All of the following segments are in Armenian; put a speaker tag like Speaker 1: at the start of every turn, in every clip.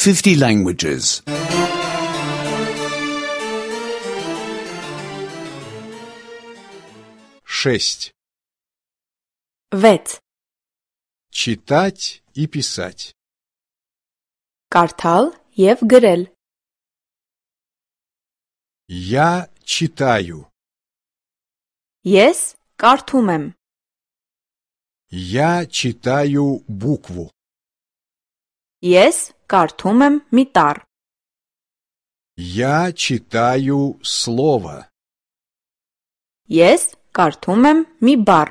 Speaker 1: 50 languages.
Speaker 2: 6.
Speaker 3: 6.
Speaker 2: Читать и писать.
Speaker 3: Կարդալ և գրել.
Speaker 2: Я читаю.
Speaker 3: Ես կարդում եմ.
Speaker 2: Я читаю букву.
Speaker 3: Ես կարդում եմ մի տառ.
Speaker 2: Я читаю слово.
Speaker 3: Ես կարդում եմ մի բառ.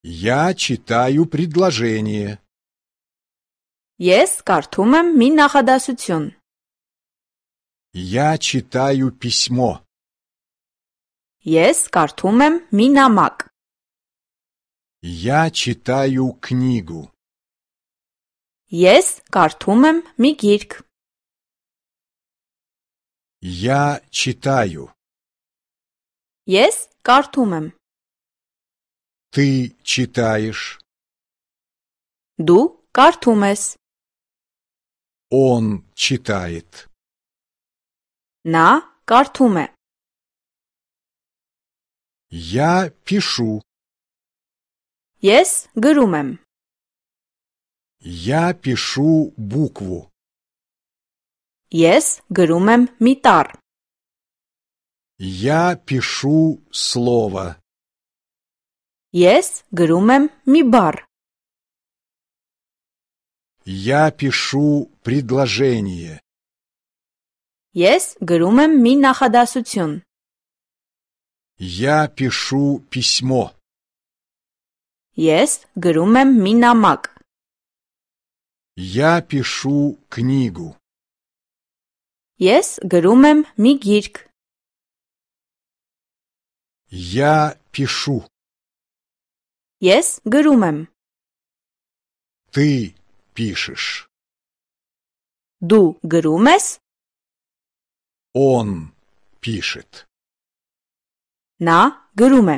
Speaker 2: Я читаю предложение.
Speaker 3: Ես կարդում եմ մի նախադասություն.
Speaker 2: Я читаю письмо.
Speaker 3: Ես կարդում եմ մի նամակ.
Speaker 2: Я читаю книгу.
Speaker 3: Ես կարդում եմ մի գիրք.
Speaker 2: Я читаю.
Speaker 3: Ես կարդում եմ.
Speaker 2: Ты читаешь.
Speaker 3: Դու կարդում ես.
Speaker 2: Он читает.
Speaker 3: Նա կարդում է.
Speaker 2: Я пишу.
Speaker 3: Ես գրում եմ.
Speaker 2: Я пишу букву.
Speaker 3: Ես գրում եմ մի տառ.
Speaker 2: Я пишу слово.
Speaker 3: Ես գրում եմ մի բառ.
Speaker 2: Я пишу предложение.
Speaker 3: Ես գրում եմ մի նախադասություն.
Speaker 2: Я пишу письмо.
Speaker 3: Ես գրում եմ մի նամակ.
Speaker 2: Я пишу книгу.
Speaker 3: Ես գրում եմ մի գիրք.
Speaker 2: Я пишу.
Speaker 3: Ես գրում եմ.
Speaker 2: Ты пишешь.
Speaker 3: Դու գրում ես.
Speaker 2: Он пишет.
Speaker 3: Նա գրում է.